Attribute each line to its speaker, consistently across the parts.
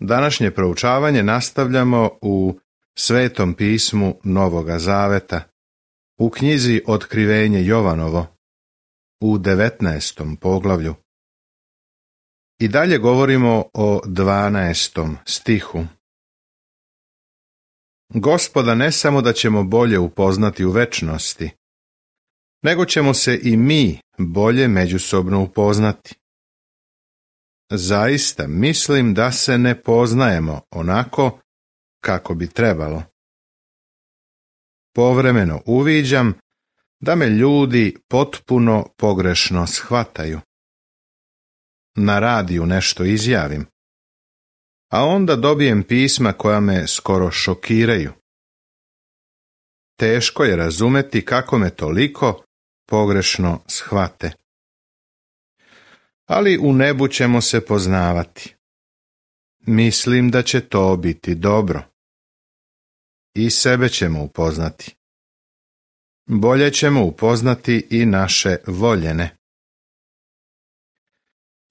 Speaker 1: Današnje proučavanje nastavljamo u Svetom pismu Novoga Zaveta, u knjizi Otkrivenje Jovanovo, u 19. poglavlju. I dalje govorimo o 12. stihu. Gospoda ne samo da ćemo bolje upoznati u večnosti, nego ćemo se i mi bolje međusobno upoznati. Zaista mislim da se ne poznajemo onako kako bi trebalo. Povremeno uviđam da me ljudi potpuno pogrešno shvataju. Na radiju nešto izjavim, a onda dobijem pisma koja me skoro šokiraju. Teško je razumeti kako me toliko pogrešno shvate. Ali u nebu ćemo se poznavati. Mislim da će to biti dobro. I sebe ćemo upoznati. Bolje ćemo upoznati i naše voljene.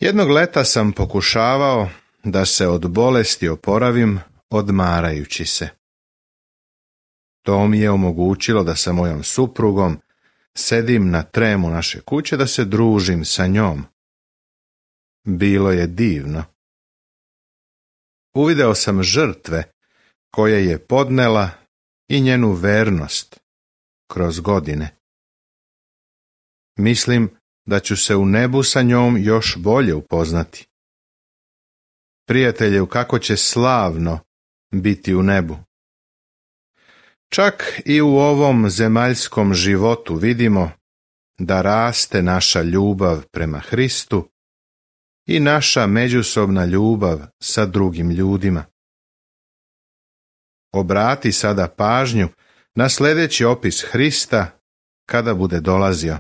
Speaker 1: Jednog leta sam pokušavao da se od bolesti oporavim odmarajući se. To mi je omogućilo da sa mojom suprugom sedim na tremu naše kuće da se družim sa njom. Bilo je divno. Uvideo sam žrtve koje je podnela i njenu vernost kroz godine. Mislim da ću se u nebu sa njom još bolje upoznati. Prijatelju, kako će slavno biti u nebu. Čak i u ovom zemaljskom životu vidimo da raste naša ljubav prema Hristu i naša međusobna ljubav sa drugim ljudima. Obrati sada pažnju na sljedeći opis Hrista kada bude dolazio.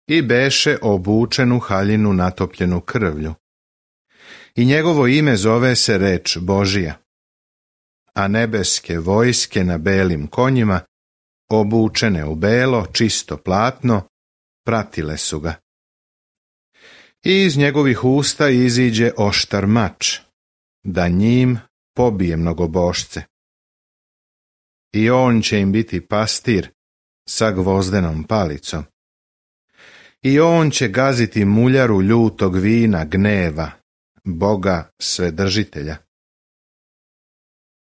Speaker 1: I beše obučen u haljinu natopljenu krvlju. I njegovo ime zove se reč Božija. A nebeske vojske na belim konjima, obučene u belo, čisto platno, pratile su ga. I iz njegovih usta iziđe oštar mač, da njim pobije mnogobošce. I on će im biti pastir sa gvozdenom palicom. I on će gaziti muljaru ljutog vina gneva, Boga Svedržitelja.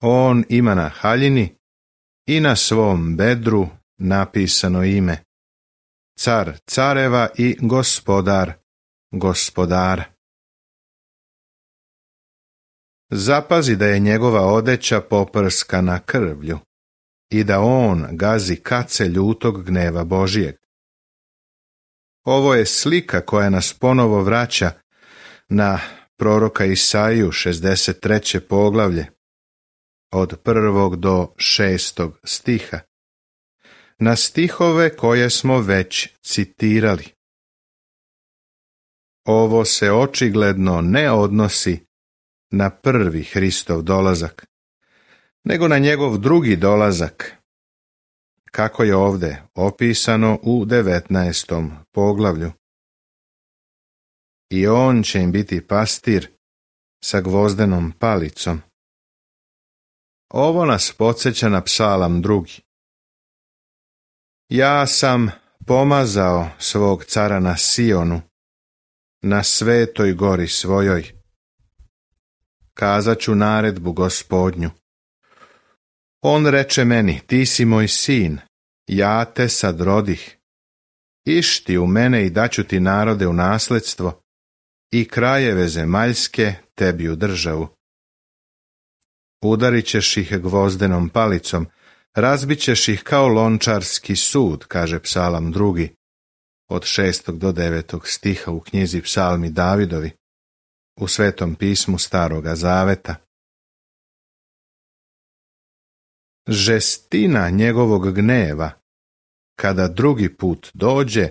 Speaker 1: On ima na haljini i na svom bedru napisano ime, Car careva i Gospodar gospodara. Zapazi da je njegova odeća poprskana krvlju i da on gazi kace ljutog gneva Božijeg. Ovo je slika koja nas ponovo vraća na proroka Isaiju 63. poglavlje, od 1. do 6. stiha, na stihove koje smo već citirali. Ovo se očigledno ne odnosi na prvi Hristov dolazak, nego na njegov drugi dolazak, kako je ovdje opisano u 19. poglavlju. I on će im biti pastir sa gvozdenom palicom. Ovo nas podsjeća na psalam 2. Ja sam pomazao svog cara na Sionu, na svetoj gori svojoj. Kazat ću naredbu Gospodnju. On reče meni, ti si moj sin, ja te sad rodih. Išti u mene i daću ti narode u nasledstvo i krajeve zemaljske tebi u državu. Udarit ćeš ih gvozdenom palicom, razbit ćeš ih kao lončarski sud, kaže psalam 2, od 6. do 9. stiha u knjizi Psalmi Davidovi, u Svetom pismu Staroga Zaveta. Žestina njegovog gneva, kada drugi put dođe,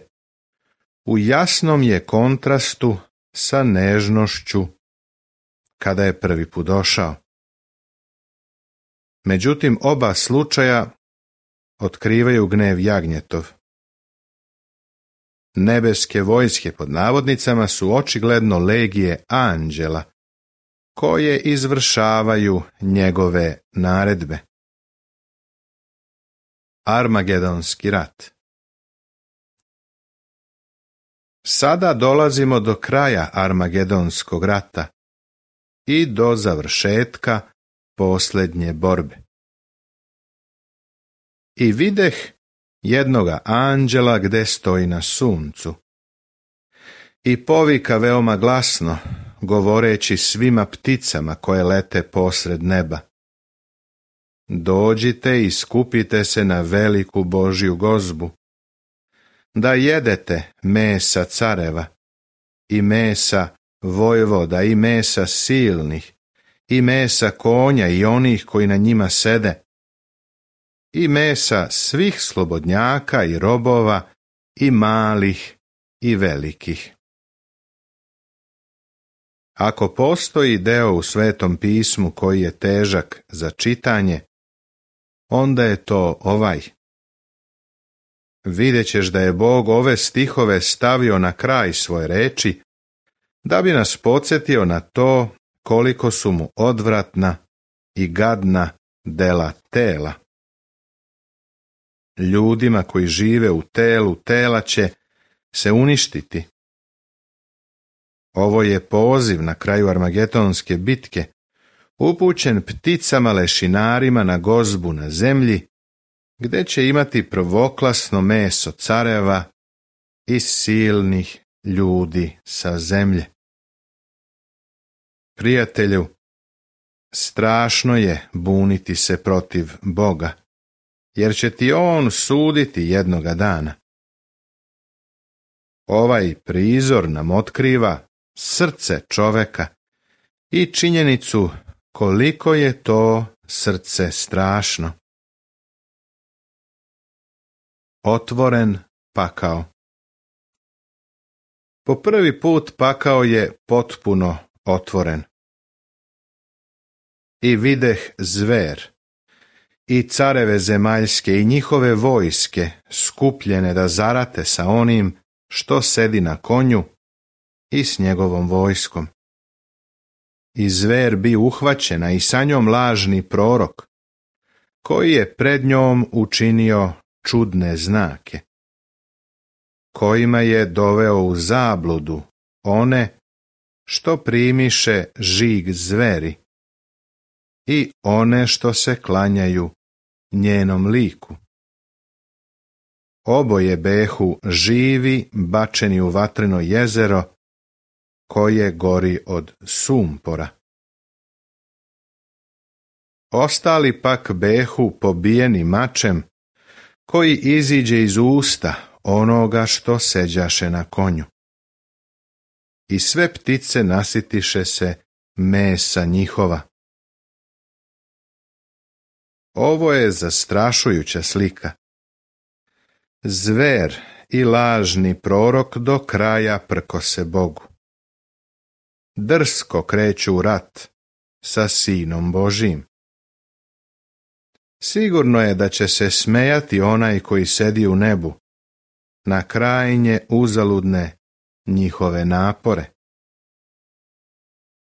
Speaker 1: u jasnom je kontrastu sa nežnošću kada je prvi put došao. Međutim, oba slučaja otkrivaju gnev jagnjetov. Nebeske vojske pod navodnicama su očigledno legije anđela koje izvršavaju njegove naredbe. Armagedonski rat. Sada dolazimo do kraja Armagedonskog rata i do završetka posljednje borbe. I videh jednoga anđela gde stoji na suncu i povika veoma glasno, govoreći svima pticama koje lete posred neba: dođite i skupite se na veliku Božju gozbu, da jedete mesa careva i mesa vojvoda i mesa silnih i mesa konja i onih koji na njima sede i mesa svih slobodnjaka i robova i malih i velikih. Ako postoji deo u Svetom pismu koji je težak za čitanje, onda je to ovaj. Vidjet ćeš da je Bog ove stihove stavio na kraj svoje reči, da bi nas podsjetio na to koliko su mu odvratna i gadna dela tela. Ljudima koji žive u telu tela će se uništiti. Ovo je poziv na kraju Armagedonske bitke, upućen pticama lešinarima na gozbu na zemlji, gde će imati prvoklasno meso careva i silnih ljudi sa zemlje. Prijatelju, strašno je buniti se protiv Boga, jer će ti on suditi jednoga dana. Ovaj prizor nam otkriva srce čoveka i činjenicu koliko je to srce strašno. Otvoren pakao. Po prvi put pakao je potpuno otvoren. I videh zver i careve zemaljske i njihove vojske skupljene da zarate sa onim što sedi na konju i s njegovom vojskom. I zver bi uhvaćena i sa njom lažni prorok, koji je pred njom učinio čudne znake, kojima je doveo u zabludu one što primiše žig zveri i one što se klanjaju njenom liku. Oboje behu živi bačeni u vatreno jezero koje gori od sumpora. Ostali pak behu pobijeni mačem koji iziđe iz usta onoga što seđaše na konju. I sve ptice nasitiše se mesa njihova. Ovo je zastrašujuća slika. Zver i lažni prorok do kraja prkose Bogu. Drsko kreću u rat sa Sinom Božijim. Sigurno je da će se smejati onaj koji sedi u nebu na krajnje uzaludne njihove napore.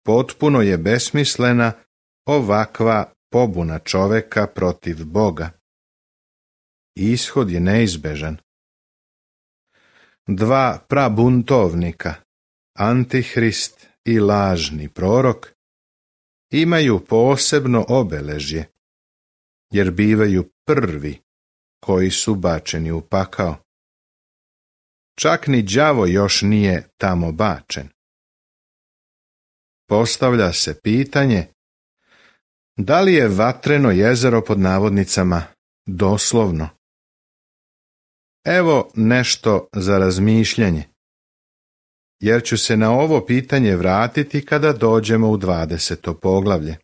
Speaker 1: Potpuno je besmislena ovakva pobuna čoveka protiv Boga. Ishod je neizbežan. Dva prabuntovnika, Antihrist i lažni prorok, imaju posebno obeležje, jer bivaju prvi koji su bačeni u pakao. Čak ni đavo još nije tamo bačen. Postavlja se pitanje, da li je vatreno jezero pod navodnicama doslovno? Evo nešto za razmišljanje, jer ću se na ovo pitanje vratiti kada dođemo u 20. poglavlje.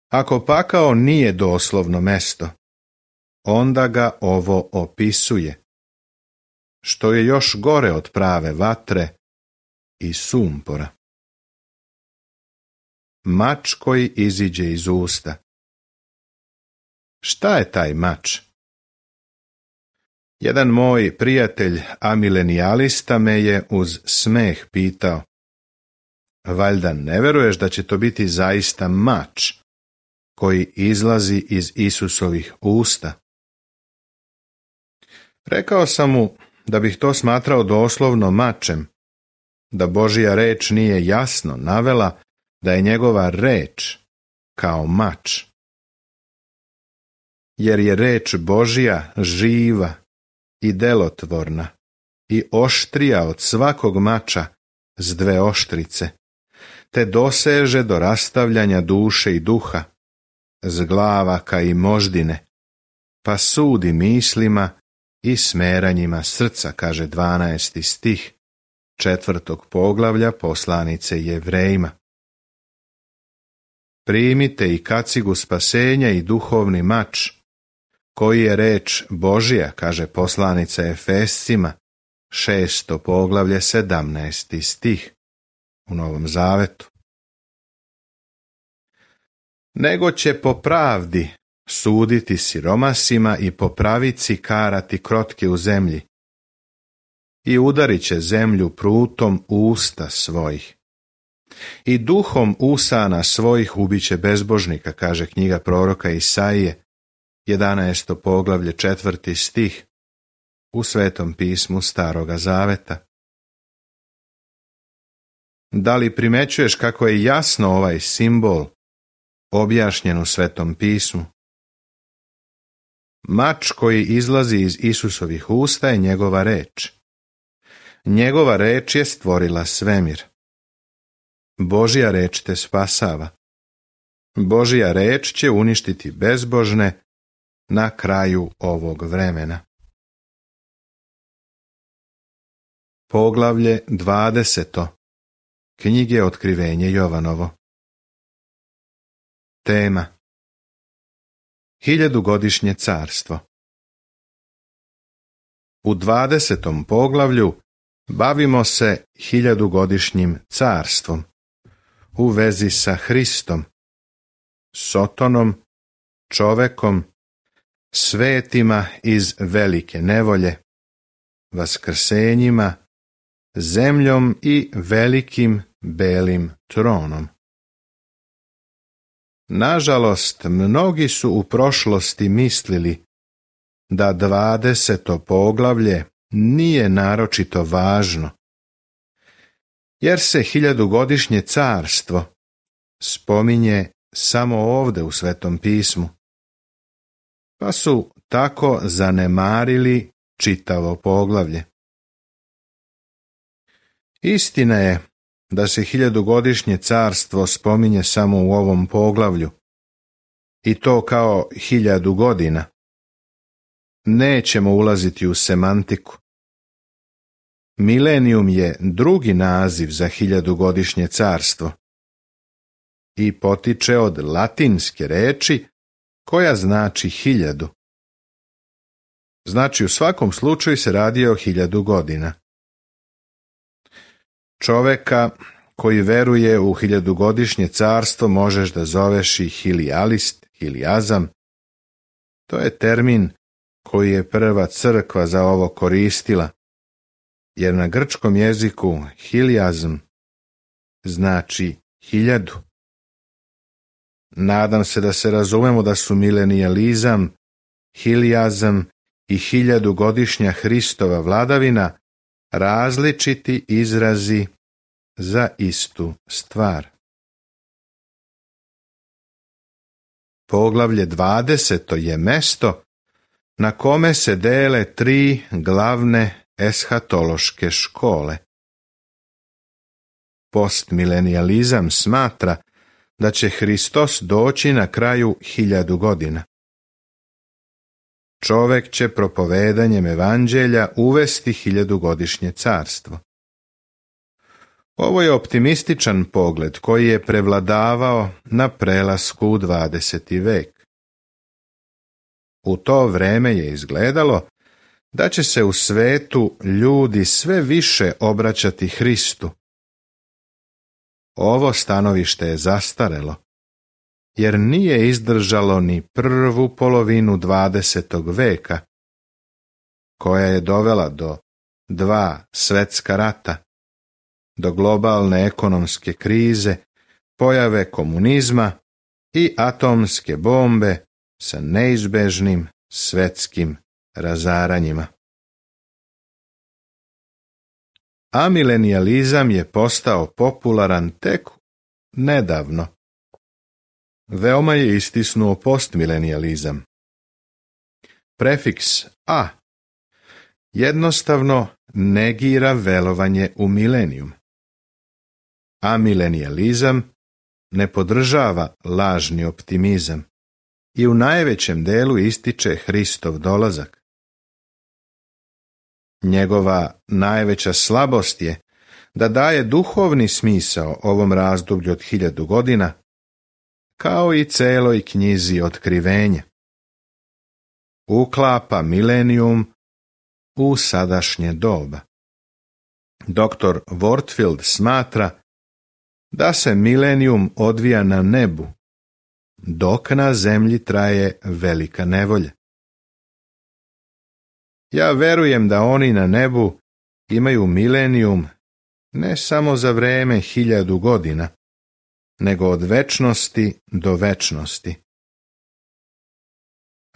Speaker 1: Ako pakao nije doslovno mesto, onda ga ovo opisuje, što je još gore od prave vatre i sumpora. Mač koji iziđe iz usta. Šta je taj mač? Jedan moj prijatelj amilenijalista me je uz smeh pitao: Valjda ne veruješ da će to biti zaista mač koji izlazi iz Isusovih usta? Rekao sam mu da bih to smatrao doslovno mačem, da Božja reč nije jasno navela da je njegova reč kao mač. Jer je reč Božja živa i delotvorna i oštrija od svakog mača s dve oštrice, te doseže do rastavljanja duše i duha, zglavaka i moždine, pa sudi mislima i smeranjima srca, kaže 12. stih 4. poglavlja poslanice Jevrejima. Primite i kacigu spasenja i duhovni mač, koji je reč Božja, kaže poslanica Efescima, 6. poglavlje 17. stih u Novom Zavetu. Nego će po pravdi suditi siromasima i po pravici karati krotke u zemlji i udarit će zemlju prutom usta svojih. I duhom usana svojih ubiće bezbožnika, kaže knjiga proroka Isaije, 11. poglavlje 4. stih u Svetom pismu Staroga Zaveta. Da li primećuješ kako je jasno ovaj simbol objašnjen u Svetom pismu? Mač koji izlazi iz Isusovih usta je njegova reč. Njegova reč je stvorila svemir. Božja reč te spasava. Božja reč će uništiti bezbožne na kraju ovog vremena. Poglavlje 20. Knjige Otkrivenje Jovanovo. Tema: 1000-godišnje carstvo. U 20. poglavlju bavimo se 1000-godišnjim carstvom u vezi sa Hristom, Sotonom, čovekom, svetima iz velike nevolje, vaskrsenjima, zemljom i velikim belim tronom. Nažalost, mnogi su u prošlosti mislili da 20. poglavlje nije naročito važno, jer se 1000-godišnje carstvo spominje samo ovdje u Svetom pismu, pa su tako zanemarili čitavo poglavlje. Istina je da se 1000-godišnje carstvo spominje samo u ovom poglavlju, i to kao 1000 godina. Nećemo ulaziti u semantiku. Milenijum je drugi naziv za 1000-godišnje carstvo i potiče od latinske reči koja znači 1000. Znači u svakom slučaju se radi o 1000 godina. Čoveka koji veruje u 1000-godišnje carstvo možeš da zoveš i hilijalist, hilijazam. To je termin koji je prva crkva za ovo koristila, jer na grčkom jeziku hilijazm znači 1000. Nadam se da se razumemo da su milenijalizam, hilijazam i 1000-godišnja Hristova vladavina različiti izrazi za istu stvar. Poglavlje 20. je mesto na kome se dele 3 glavne eshatološke škole. Postmilenijalizam smatra da će Hristos doći na kraju 1000 godina. Čovek će propovedanjem evanđelja uvesti 1000-godišnje carstvo. Ovo je optimističan pogled koji je prevladavao na prelasku u 20. vek. U to vreme je izgledalo da će se u svetu ljudi sve više obraćati Hristu. Ovo stanovište je zastarelo, jer nije izdržalo ni prvu polovinu 20. veka, koja je dovela do 2 svetska rata do globalne ekonomske krize, pojave komunizma i atomske bombe sa neizbežnim svetskim razaranjima. Amilenijalizam je postao popularan tek nedavno. Veoma je istisnuo postmilenijalizam. Prefiks a jednostavno negira verovanje u milenijum. Amilenijalizam ne podržava lažni optimizam i u najvećem delu ističe Hristov dolazak. Njegova najveća slabost je da daje duhovni smisao ovom razdoblju od 1000 godina, kao i celoj knjizi Otkrivenja. Uklapa milenijum u sadašnje doba. Dr. Wartfield smatra da se milenijum odvija na nebu, dok na zemlji traje velika nevolja. Ja verujem da oni na nebu imaju milenijum ne samo za vreme 1000 godina, nego od večnosti do večnosti.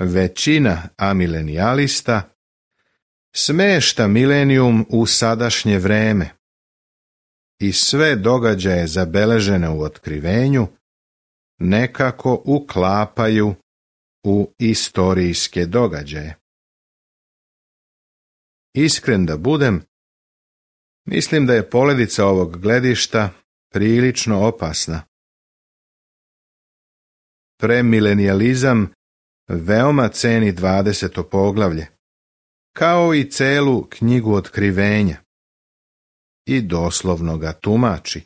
Speaker 1: Većina amilenijalista smešta milenijum u sadašnje vreme i sve događaje zabeležene u Otkrivenju nekako uklapaju u istorijske događaje. Iskren da budem, mislim da je poledica ovog gledišta prilično opasna. Premilenijalizam veoma ceni 20. poglavlje, kao i celu knjigu Otkrivenja, i doslovno ga tumači,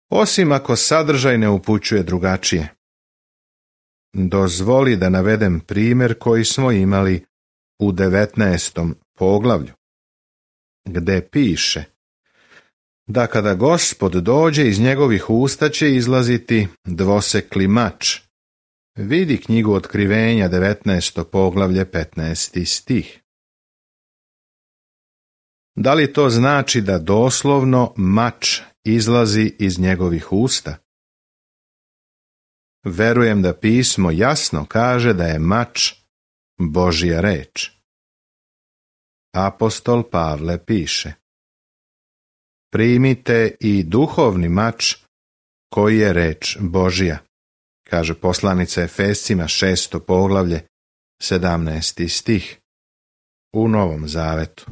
Speaker 1: osim ako sadržaj ne upućuje drugačije. Dozvoli da navedem primjer koji smo imali u 19. poglavlju, gde piše da kada Gospod dođe, iz njegovih usta će izlaziti dvosekli mač. Vidi knjigu Otkrivenja, 19. poglavlje, 15. stih. Da li to znači da doslovno mač izlazi iz njegovih usta? Verujem da pismo jasno kaže da je mač Božja reč. Apostol Pavle piše: primite i duhovni mač koji je reč Božja, kaže poslanica Efescima 6. poglavlje, 17. stih, u Novom Zavetu.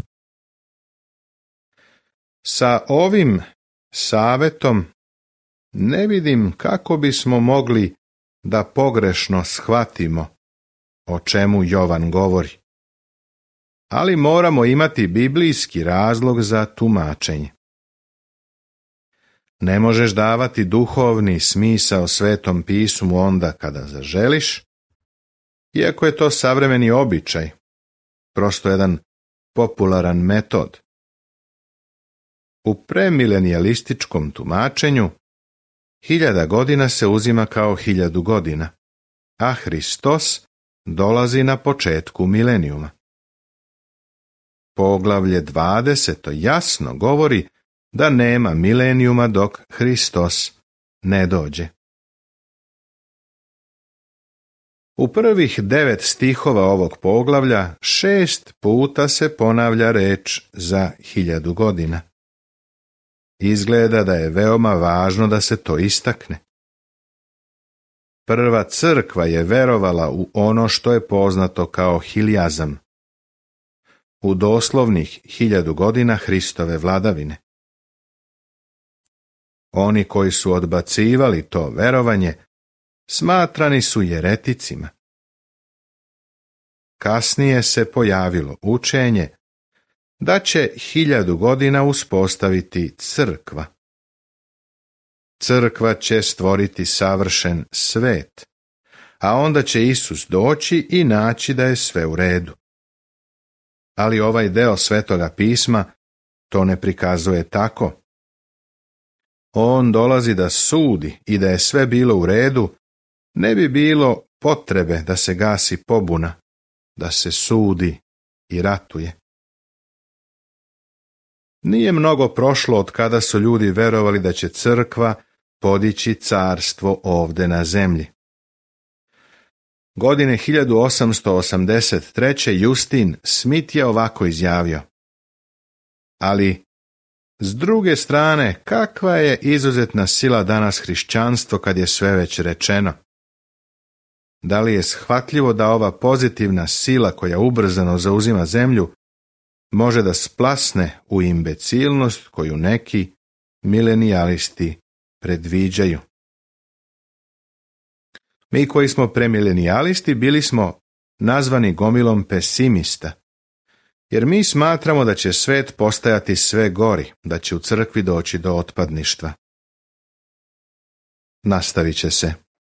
Speaker 1: Sa ovim savetom ne vidim kako bismo mogli da pogrešno shvatimo o čemu Jovan govori, ali moramo imati biblijski razlog za tumačenje. Ne možeš davati duhovni smisao Svetom pismu onda kada zaželiš, iako je to savremeni običaj, prosto jedan popularan metod. U premilenijalističkom tumačenju 1000 godina se uzima kao 1000 godina, a Hristos dolazi na početku milenijuma. Poglavlje 20. jasno govori da nema milenijuma dok Hristos ne dođe. U prvih 9 stihova ovog poglavlja 6 puta se ponavlja reč za 1000 godina. Izgleda da je veoma važno da se to istakne. Prva crkva je verovala u ono što je poznato kao hiljazam, u doslovnih 1000 godina Hristove vladavine. Oni koji su odbacivali to verovanje smatrani su jereticima. Kasnije se pojavilo učenje da će 1000 godina uspostaviti crkva. Crkva će stvoriti savršen svet, a onda će Isus doći i naći da je sve u redu. Ali ovaj deo Svetoga pisma to ne prikazuje tako. On dolazi da sudi i da je sve bilo u redu, ne bi bilo potrebe da se gasi pobuna, da se sudi i ratuje. Nije mnogo prošlo od kada su ljudi verovali da će crkva podići carstvo ovde na zemlji. Godine 1883. Justin Smith je ovako izjavio: ali, s druge strane, kakva je izuzetna sila danas hrišćanstvo kad je sve već rečeno? Da li je shvatljivo da ova pozitivna sila koja ubrzano zauzima zemlju može da splasne u imbecilnost koju neki milenijalisti predviđaju? Mi koji smo premilenijalisti bili smo nazvani gomilom pesimista, jer mi smatramo da će svet postajati sve gori, da će u crkvi doći do otpadništva. Nastavit će se.